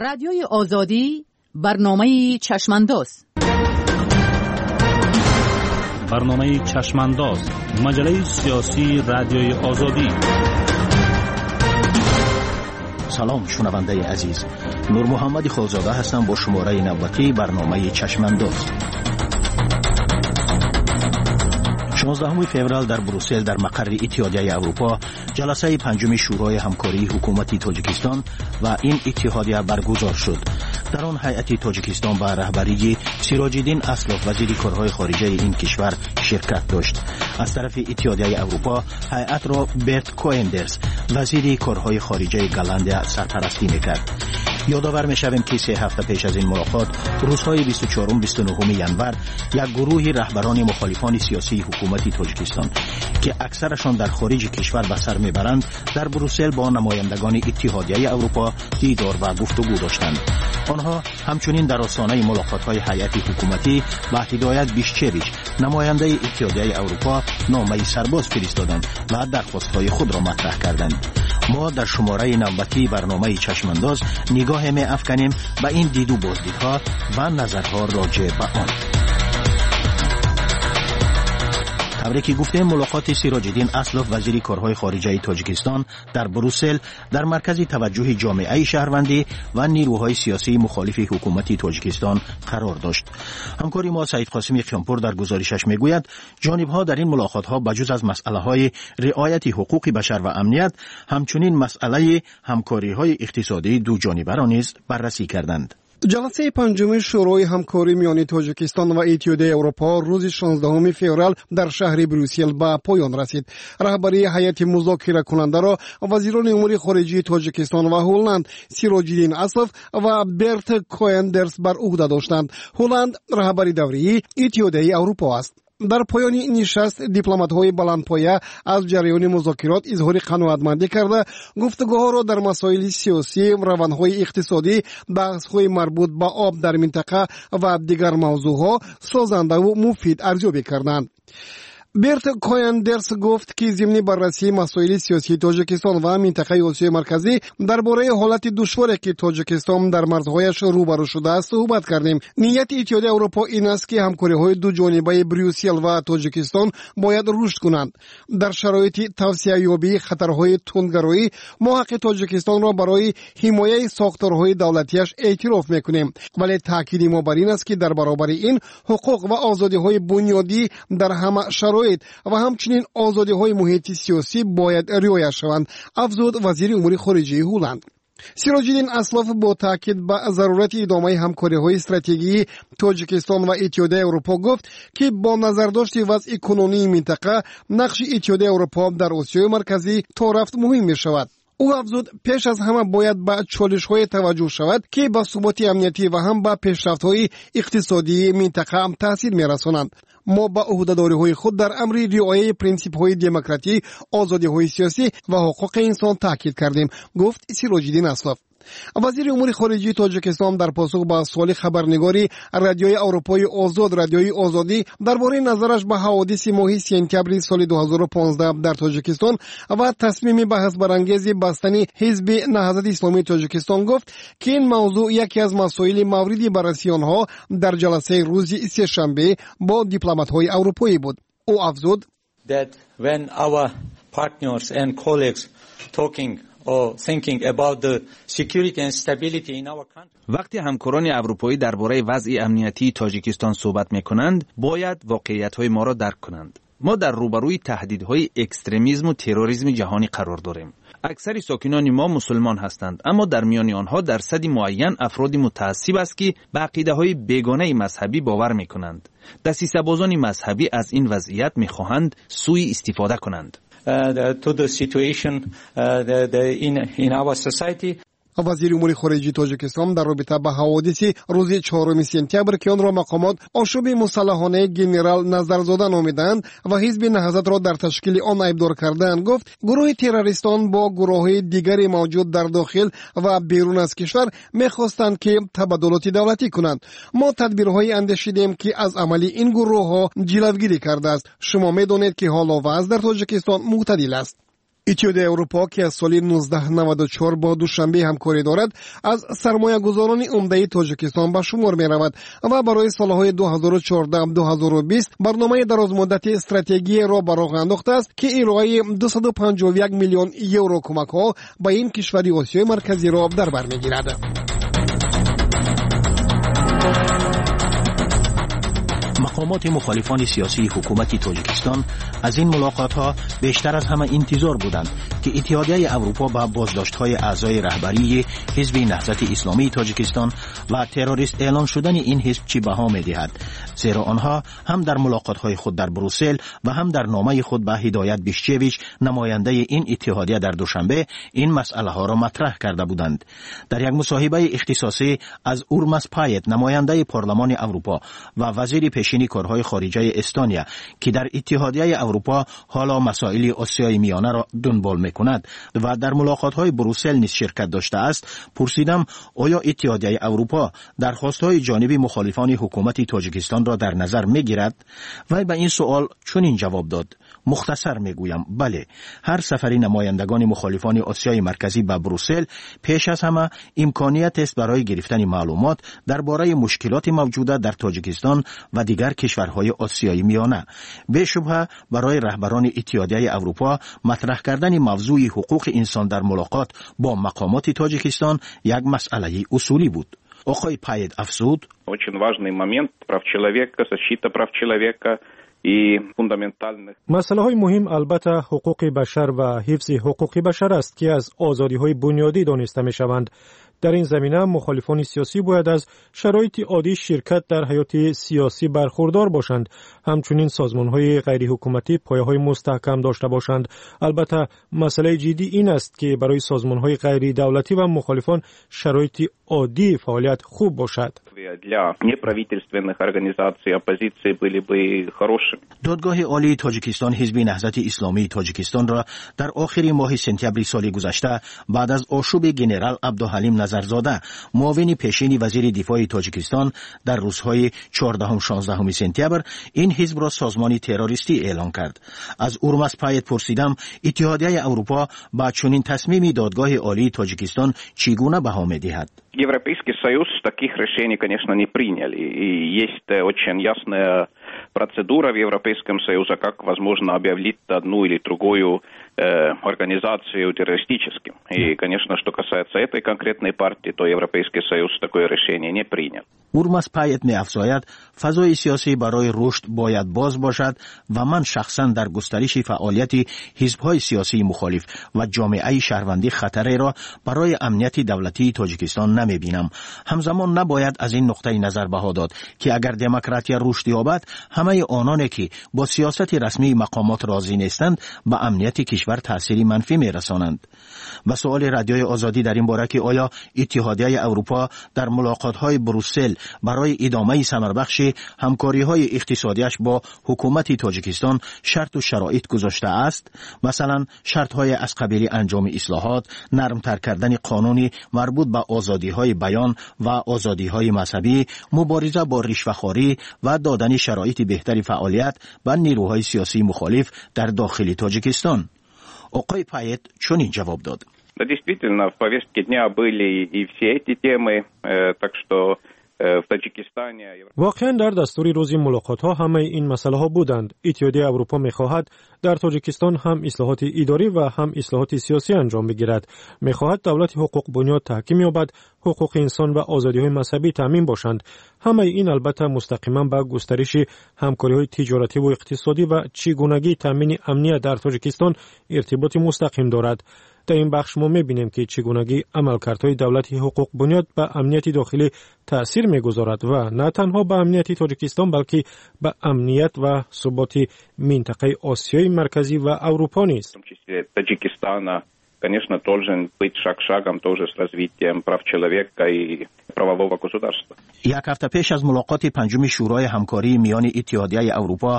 Радиои Озодӣ, барномаи Чашмандоз. Барномаи Чашмандоз, маҷаллаи сиёсии Радиои Озодӣ. Салом, шунавандаи азиз. Нурмуҳаммади Холзода ҳастам бо шумораи навбатии барномаи Чашмандоз. 16 феврал дар Брюссел, дар мақарри Иттиҳодияи Аврупо, ҷаласаи панҷуми Шӯрои ҳамкории ҳукумати Тоҷикистон ва ин иттиҳодия баргузор шуд. Дар он ҳайати Тоҷикистон ба раҳбарии Сироҷиддин Аслов, вазири корҳои хориҷаи ин кишвар, ширкат дошт. Аз тарафи Иттиҳодияи Аврупо ҳайатро Берт Коендерс, вазири корҳои хориҷаи Голландия, сарпарастӣ мекард. Ёдовар мешавем, ки 3 ҳафта пеш аз ин мулоқот, рӯзҳои 24-29 январ, як гурӯҳи раҳбарони мухолифони сиёсии ҳукумати Тоҷикистон, ки аксарашон дар хориҷи кишвар ба сар мебаранд, дар Брюссел бо намояндагони Иттиҳодияи Аврупо дидор ва гуфтугӯ доштанд. Онҳо ҳамчунин дар остонаи мулоқотҳои ҳайати ҳукуматӣ ба Ҳидоят Бишчевич, намояндаи Иттиҳодияи Аврупо, номаи сарбоз фиристоданд ва дархостҳои худро матраҳ карданд. Мо дар шумораи навбатии барномаи Чашмандоз нигоҳе меафканем ба ин диду боздидҳо ва назарҳо роҷеъ ба он. Тавре ки гуфтем, мулоқоти Сироҷиддин Аслов, вазири корҳои хориҷаи Тоҷикистон, дар Брюссел дар маркази таваҷҷӯҳи ҷомеаи шаҳрвандӣ ва нирӯҳои сиёсии мухолифи ҳукумати Тоҷикистон қарор дошт. Ҳамкори мо Саидқосими Қиёмпур дар гузоришаш мегӯяд, ҷонибҳо дар ин мулоқотҳо ба ҷуз аз масъалаҳои риояти ҳуқуқи башар ва амният, ҳамчунин масъалаи ҳамкориҳои иқтисодии дуҷонибаро низ баррасӣ карданд. Ҷаласаи панҷуми Шӯрои ҳамкорӣ миёни Тоҷикистон ва Иттиҳодияи Аврупо рӯзи 16 феврал дар шаҳри Брюссел ба поён расид. Раҳбарии ҳайати музокиракунандаро вазирони умури хориҷии Тоҷикистон ва Ҳолланд Сироҷиддин Аслов ва Берт Коендерс бар уҳда доштанд. Ҳолланд раҳбари даврии Иттиҳодияи Аврупо аст. Дар поёни нишаст дипломатҳои баландпоя аз ҷараёни музокирот изҳори қаноатмандӣ карда, гуфтугӯҳоро дар масоили сиёсӣ, равандҳои иқтисодӣ, баҳсҳои марбут ба об дар минтақа ва дигар мавзӯъҳо созандаву муфид арзёбӣ карданд. Берт Кояндерс гуфт, ки зимни баррасии масоили сиёсии Тоҷикистон ва минтақаи Осиёи Марказӣ дар бораи ҳолати душворе, ки Тоҷикистон дар марзҳояш рӯбарӯ шудааст, суҳбат кардем. Нияти Иттиҳоди Аврупо ин аст, ки ҳамкориҳои дуҷонибаи Брюссел ва Тоҷикистон бояд рушд кунанд. Дар шароити тавсеаёбии хатарҳои тундгароӣ мо ҳаққи Тоҷикистонро барои ҳимояи сохторҳои давлатиаш эътироф мекунем, вале таъкиди мо бар ин аст, ки дар баробари ин ҳуқуқ ва озодиҳои бунёдӣ дар ҳама шароит ва ҳамчунин озодиҳои муҳити сиёсӣ бояд риоя шаванд, афзуд вазири умури хориҷии Ҳолланд. Сироҷиддин Аслов бо таъкид ба зарурати идомаи ҳамкориҳои стратегии Тоҷикистон ва Иттиҳодияи Аврупо гуфт, ки бо назардошти вазъи кунунии минтақа нақши Иттиҳодияи Аврупо дар Осиёи Марказӣ то рафт муҳим мешавад. Ӯ афзуд, пеш аз ҳама бояд ба чолишҳое таваҷҷӯҳ шавад, ки ба суботи амниятӣ ва ҳам ба пешрафтҳои иқтисодии минтақа таъсир мерасонанд. Мо ба ӯҳдадориҳои худ дар амри риояи принсипҳои демократӣ, озодиҳои сиёсӣ ва ҳуқуқи инсон таъкид кардем, гуфт Сироҷиддин Аслов. Вазири умури хориҷии Тоҷикистон дар посух ба суоли хабарнигори Радиои Аврупои Озод, Радиои Озодӣ, дар бораи назараш ба ҳаводиси моҳи сентябри соли 2015 дар Тоҷикистон ва тасмими баҳсбарангези бастани Ҳизби Наҳзати Исломии Тоҷикистон гуфт, ки ин мавзӯъ яке аз масоили мавриди баррасии онҳо дар ҷаласаи рӯзи сешанбе бо дипломатҳои аврупоӣ буд. Ӯ афзуд: That when our partners and colleagues talking or thinking about the security and stability in our country. Вақте ҳамкорони аврупоӣ дар бораи вазъи амниятии Тоҷикистон суҳбат мекунанд, бояд воқеиятҳои моро дарк кунанд. Мо дар рӯбарӯи таҳдидҳои экстремизму терроризми ҷаҳонӣ қарор дорем. Аксари сокинони мо мусулмон ҳастанд, аммо дар миёни онҳо дарсади муайян афроди мутаассиб аст, ки ба ақидаҳои бегонаи мазҳабӣ бовар мекунанд. Дасисабозони мазҳабӣ аз ин вазъият мехоҳанд сӯи истифода кунанд. To the situation in our society. Вазири умури хориҷии Тоҷикистон дар робита ба ҳаводиси рӯзи 4 сентябр, ки онро мақомот ошӯби мусаллаҳонаи генерал Назарзода номидаанд ва Ҳизби Наҳзатро дар ташкили он айбдор кардаанд, гуфт, гурӯҳи террористон бо гурӯҳҳои дигари мавҷуд дар дохил ва берун аз кишвар мехостанд, ки табаддулоти давлатӣ кунанд. Мо тадбирҳое андешидем, ки аз амали ин гурӯҳҳо ҷилавгирӣ кардааст. Шумо медонед, ки ҳоло вазъ дар Тоҷикистон мӯътадил аст. Иттиҳодияи Аврупо, ки аз соли 1994 бо Душанбе ҳамкорӣ дорад, аз сармоягузорони умдаи Тоҷикистон ба шумор меравад ва барои солҳои 2014-2020 барномаи дарозмуддати стратегияро ба роҳ андохтааст, ки ироаи 251 миллион евро кӯмакҳо ба ин кишвари Осиёи Марказиро дар бар мегирад. Мақомоти мухолифони сиёсии ҳукумати Тоҷикистон аз ин мулоқотҳо бештар аз ҳама интизор буданд, ки Иттиҳодияи Аврупо ба боздоштҳои аъзои раҳбарии Ҳизби Наҳзати Исломии Тоҷикистон ва террорист эълон шудани ин ҳизб чӣ баҳо медиҳад, зеро онҳо ҳам дар мулоқотҳои худ дар Брюссел ва ҳам дар номаи худ ба Ҳидоят Бишчевич, намояндаи ин иттиҳодия дар Душанбе, ин масъалаҳоро матраҳ карда буданд. Дар як мусоҳибаи ихтисосӣ аз Урмас Пает, намояндаи Парлумони Аврупо ва вазири пешини корҳои хориҷаи Эстония, ки дар Иттиҳодияи Аврупо ҳоло масоили Осиёи Миёнаро дунбол мекунад ва дар мулоқотҳои Брюссел низ ширкат доштааст, пурсидам, оё Иттиҳодияи Аврупо дархостҳои ҷониби мухолифони ҳукумати Тоҷикистонро дар назар мегирад? Вай ба ин суол чунин ҷавоб дод: мухтасар мегӯям, бале, ҳар сафари намояндагони мухолифони Осиёи Марказӣ ба Брюссел пеш аз ҳама имкониятест барои гирифтани маълумот дар бораи мушкилоти мавҷуда дар Тоҷикистон ва дигар кишварҳои Осиёи Миёна. Бешубҳа, барои раҳбарони Иттиҳодияи Аврупо матраҳ кардани мавзӯи ҳуқуқи инсон дар мулоқот бо мақомоти Тоҷикистон як масъалаи усулӣ буд. Оқои Пайет афзуд: Очень важный момент прав человека, защита прав человека и фундаментальных. Масъалаҳои муҳим албатта ҳуқуқи башар ва ҳифзи ҳуқуқи башар аст, ки аз озодиҳои бунёдӣ дониста мешаванд. Дар ин замина мухолифони сиёсӣ бояд аз шароити оддии ширкат дар ҳаёти сиёсӣ бархурдор бошанд. Ҳамчунин созмонҳои ғайриҳукуматӣ пояҳои мустаҳкам дошта бошанд. Албатта, масъалаи ҷиддӣ ин аст, ки барои созмонҳои ғайридавлатӣ ва мухолифон шароити оддии фаъолият хуб бошад. Для неправительственных организаций оппозиции были бы хорошими. Додгоҳи Олии Тоҷикистон Ҳизби Наҳзати Исломии Тоҷикистонро дар охири моҳи сентябри соли гузашта баъд аз ошӯби генерал Абдуҳалим Назарзода, муовини пешини вазири дифои Тоҷикистон, дар рӯзҳои 14-16 сентябр ин ҳизбро созмони террористӣ эълон кард. Аз Урмас Пайет пурсидам, Иттиҳодияи Аврупо ба чунин тасмими Додгоҳи Олии Тоҷикистон чӣ гуна баҳо медиҳад? Европейский Союз таких решений, конечно, не приняли. И есть очень ясная процедура в Европейском Союзе, как возможно объявить одну или другую организацию террористическим. И, конечно, что касается этой конкретной партии, то Европейский Союз такое решение не принял. Урмас Пайет меафзояд, фазои сиёсӣ барои рушд бояд боз бошад ва ман шахсан дар густариши фаъолияти ҳизбҳои сиёсии мухолиф ва ҷомеаи шаҳрвандӣ хатареро барои амнияти давлатии Тоҷикистон намебинам. Ҳамзамон набояд аз ин нуқтаи назар баҳо дод, ки агар демократия рушд ёбад, ҳамаи ононе ки бо сиёсати расмии мақомот розӣ нестанд, ба амнияти кишвар таъсири манфӣ мерасонанд. Ба суоли Радиои Озодӣ дар ин бора, ки оё Иттиҳодияи Аврупо дар мулоқотҳои Брюссел барои идомаи самарбахши ҳамкориҳои иқтисодиаш бо ҳукумати Тоҷикистон шарту шароит гузоштааст, масалан, шартҳое аз қабили анҷоми ислоҳот, нармтар кардани қонуни марбут ба озодиҳои баён ва озодиҳои мазҳабӣ, мубориза бо ришвахорӣ ва додани шароити беҳтари фаъолият ба нерӯҳои сиёсии мухолиф дар дохили Тоҷикистон, оқои Пайет чунин ҷавоб дод: Да, действительно, в повестке дня были и все эти темы, так что в Таджикистане. Воқеан, дар дастури рӯзи мулоқотҳо ҳамаи ин масъалаҳо буданд. Иттиҳодияи Аврупо мехоҳад дар Тоҷикистон ҳам ислоҳоти идорӣ ва ҳам ислоҳоти сиёсӣ анҷом бигирад. Мехоҳад давлати ҳуқуқбунёд таҳким ёбад, ҳуқуқи инсон ва озодиҳои мазҳабӣ таъмин бошанд. Ҳамаи ин албатта мустақиман ба густариши ҳамкориҳои тиҷоративу иқтисодӣ ва чӣ гунагии таъмини амният дар Тоҷикистон иртиботи мустақим дорад. Дар ин бахш мо мебинем, ки чӣ гунагии амалкардҳои давлати ҳуқуқбунёд ба амнияти дохилӣ таъсир мегузорад ва на танҳо ба амнияти Тоҷикистон, балки ба амният ва суботи минтақаи Осиёи Марказӣ ва Аврупо низ. Таджикистана, конечно, должен быть шаг шагом тоже с развитием прав человека и Правового государства. Як ҳафта пеш аз мулоқоти панҷуми Шӯрои ҳамкории миёни Иттиҳодияи Аврупо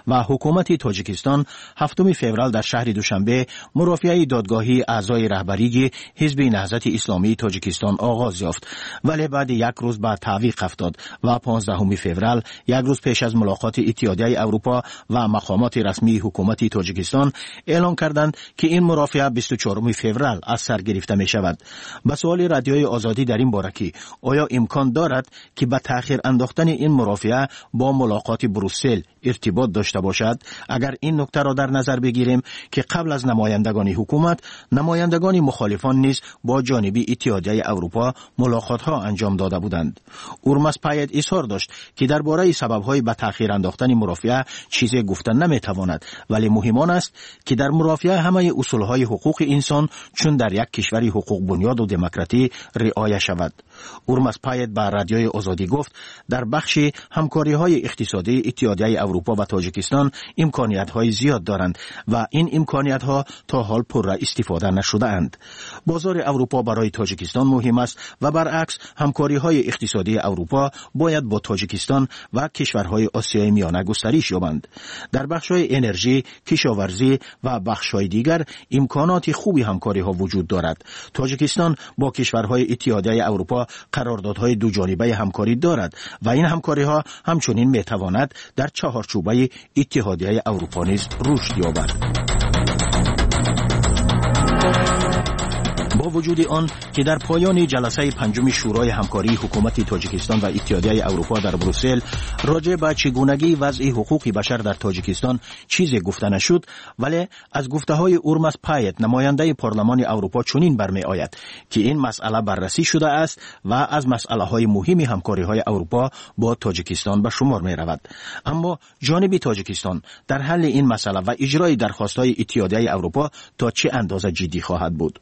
ва ҳукумати Тоҷикистон, 7 феврал дар шаҳри Душанбе мурофиаи додгоҳии аъзои раҳбарии Ҳизби Наҳзати Исломии Тоҷикистон оғоз ёфт, вале баъди як рӯз ба таъвиқ афтод ва 15 феврал, як рӯз пеш аз мулоқоти Иттиҳодияи Аврупо ва мақомоти расмии ҳукумати Тоҷикистон эълон карданд, ки ин мурофиа 24 феврал аз сар гирифта мешавад. Ба суоли Радиои Озодӣ дар ин бора, ки оё имкон дорад, ки ба таъхир андохтани ин мурофиа бо мулоқоти Брюссел иртибот дошта бошад, агар ин нуктаро дар назар бигирем, ки қабл аз намояндагони ҳукумат намояндагони мухолифон низ бо ҷониби Иттиҳодияи Аврупо мулоқотҳо анҷом дода буданд, Урмас Пайет изҳор дошт, ки дар бораи сабабҳои ба таъхир андохтани мурофиа чизе гуфта наметавонад, вале муҳим он аст, ки дар мурофиа ҳамаи усулҳои ҳуқуқи инсон, чун дар як кишвари ҳуқуқбунёду демократӣ, риоя шавад. Урмас Пайет ба Радиои Озодӣ гуфт, дар бахши ҳамкориҳои иқтисодии Иттиҳодияи Аврупо ва Тоҷикистон имкониятҳои зиёд доранд ва ин имкониятҳо то ҳол пурра истифода нашудаанд. Бозори Аврупо барои Тоҷикистон муҳим аст ва баръакс, ҳамкориҳои иқтисодии Аврупо бояд бо Тоҷикистон ва кишварҳои Осиёи Миёна густариш ёбанд. Дар бахшҳои энержӣ, кишоварзӣ ва бахшҳои дигар имконоти хуби ҳамкориҳо вуҷуд дорад. Тоҷикистон бо кишварҳои Иттиҳодияи Аврупо қарордодҳои дуҷонибаи ҳамкорӣ дорад ва ин ҳамкориҳо ҳамчунин метавонад дар чаҳорчӯбаи Иттиҳодияи Аврупо низ рушд ёбад. Бо вуҷуди он ки дар поёни ҷаласаи панҷуми Шӯрои ҳамкории ҳукумати Тоҷикистон ва Иттиҳодияи Аврупо дар Брюссел роҷеъ ба чигунагии вазъи ҳуқуқи башар дар Тоҷикистон чизе гуфта нашуд, вале аз гуфтаҳои Урмас Пайет, намояндаи Парлумони Аврупо, чунин бармеояд, ки ин масъала баррасӣ шудааст ва аз масъалаҳои муҳими ҳамкориҳои Аврупо бо Тоҷикистон ба шумор меравад. Аммо ҷониби Тоҷикистон дар ҳалли ин масъала ва иҷрои дархостҳои Иттиҳодияи Аврупо то чӣ андоза ҷиддӣ хоҳад буд?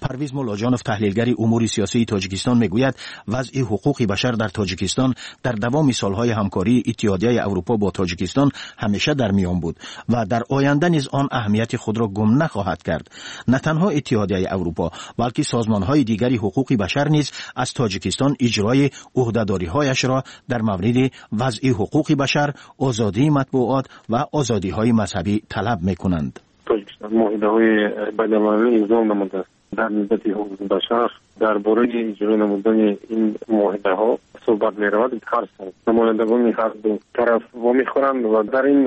Парвиз Муллоҷонов, таҳлилгари умури сиёсии Тоҷикистон, мегӯяд, вазъи ҳуқуқи башар дар Тоҷикистон дар давоми солҳои ҳамкории Иттиҳодияи Аврупо бо Тоҷикистон ҳамеша дар миён буд ва дар оянда низ он аҳамияти худро гум нахоҳад кард. На танҳо Иттиҳодияи Аврупо, балки созмонҳои дигари ҳуқуқи башар низ аз Тоҷикистон иҷрои ӯҳдадориҳояшро дар мавриди вазъи ҳуқуқи башар, озодии матбуот ва озодиҳои мазҳабӣ талаб мекунанд. Тоҷикистон муоҳидаҳои байналмилалӣ имзо намудааст дар нисбати ҳуқуқи башар. Дар бораи иҷро намудани ин муоҳидаҳо суҳбат меравад. Ҳар сол намояндагони ҳар ду тараф вомехӯранд ва дар ин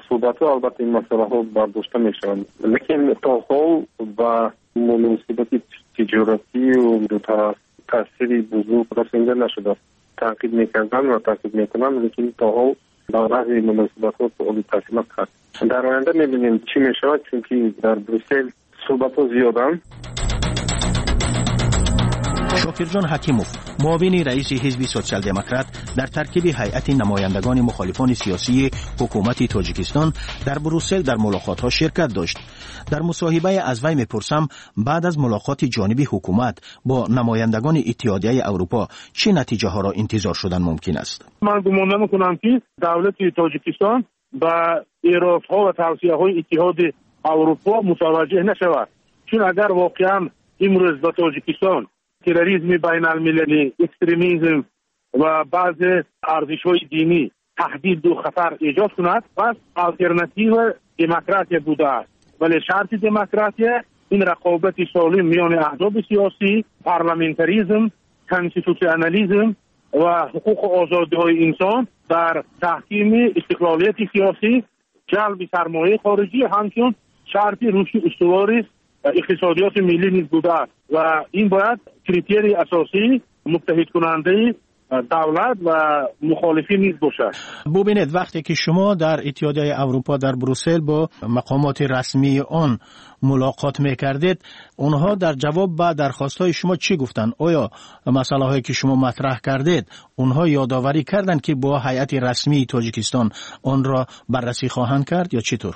суҳбатҳо албатта ин масъалаҳо бардошта мешаванд, лекин то ҳол ба муносибати тиҷоратию дутараф таъсири бузург расонида нашудааст. Таъқиб мекарданд ва таъқиб мекунанд, лекин то ҳол ба вазъи муносибатҳо таъсир накард. Дар оянда мебинем, чӣ мешавад, чунки дар Брюссел суҳбатҳо зиёданд. Шокирҷон Ҳакимов, муовини раиси Ҳизби Социал-Демократ дар таркиби ҳайати намояндагони мухолифони сиёсии ҳукумати Тоҷикистон дар Брюссел дар мулоқотҳо ширкат дошт. Дар мусоҳибае аз вай мепурсам, баъд аз мулоқоти ҷониби ҳукумат бо намояндагони Иттиҳодияи Аврупо чӣ натиҷаҳоро интизор шудан мумкин аст? Ман гумон намекунам, ки давлати Тоҷикистон ба эродҳо ва тавсияҳои Иттиҳоди Аврупо мутаваҷҷеҳ нашавад, чун агар воқеан имрӯз ба Тоҷикистон терроризми байналмилалӣ, экстремизм ва баъзе арзишҳои динӣ таҳдиду хатар эҷод кунад, пас алтернатива демократия будааст. Вале шарти демократия ин рақобати солим миёни аҳзоби сиёсӣ, парламентаризм, конститутсионализм ва ҳуқуқу озодиҳои инсон дар таҳкими истиқлолияти сиёсӣ, ҷалби сармояи хориҷӣ ҳамчун шарти рушди устувори иқтисодиёти миллӣ низ будааст ва ин бояд критерии асосии муттаҳидкунандаи давлат ва мухолифин низ бошад. Бубинед, вақте ки шумо дар Иттиҳодияи Аврупо дар Брюссел бо мақомоти расмии он мулоқот мекардед, онҳо дар ҷавоб ба дархостҳои шумо чӣ гуфтанд? Оё масъалаҳое ки шумо матраҳ кардед, онҳо ёдоварӣ карданд, ки бо ҳайати расмии Тоҷикистон онро баррасӣ хоҳанд кард ё чӣ тур?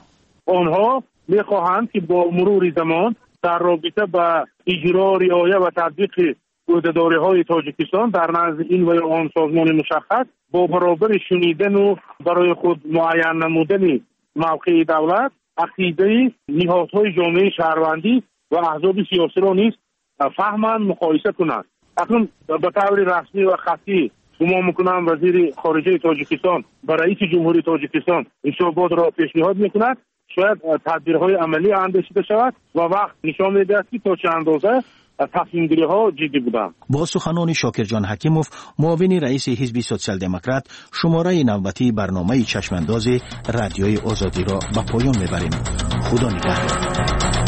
Онҳо мехоҳанд, ки бо мурури замон дар робита ба иҷро, риоя ва татбиқи ӯҳдадориҳои Тоҷикистон дар назди ин ва ё он созмони мушаххас, бо баробари шунидану барои худ муайян намудани мавқеи давлат, ақидаи ниҳодҳои ҷомеаи шаҳрвандӣ ва аҳзоби сиёсиро низ фаҳманд, муқоиса кунанд. Акнун ба таври расмӣ ва хаттӣ гумон мекунам, вазири хориҷаи Тоҷикистон ба раиси ҷумҳурии Тоҷикистон ҳисоботро пешниҳод мекунад. Шояд тадбирҳои амалӣ андешида шавад ва вақт нишон медиҳад, ки то чӣ андоза тасмимгириҳо ҷиддӣ буданд. Бо суханони Шокирҷон Ҳакимов, муовини раиси Ҳизби Социал-Демократ, шумораи навбатии барномаи Чашмандози Радиои Озодиро ба поён мебарем. Худо нигаҳдор.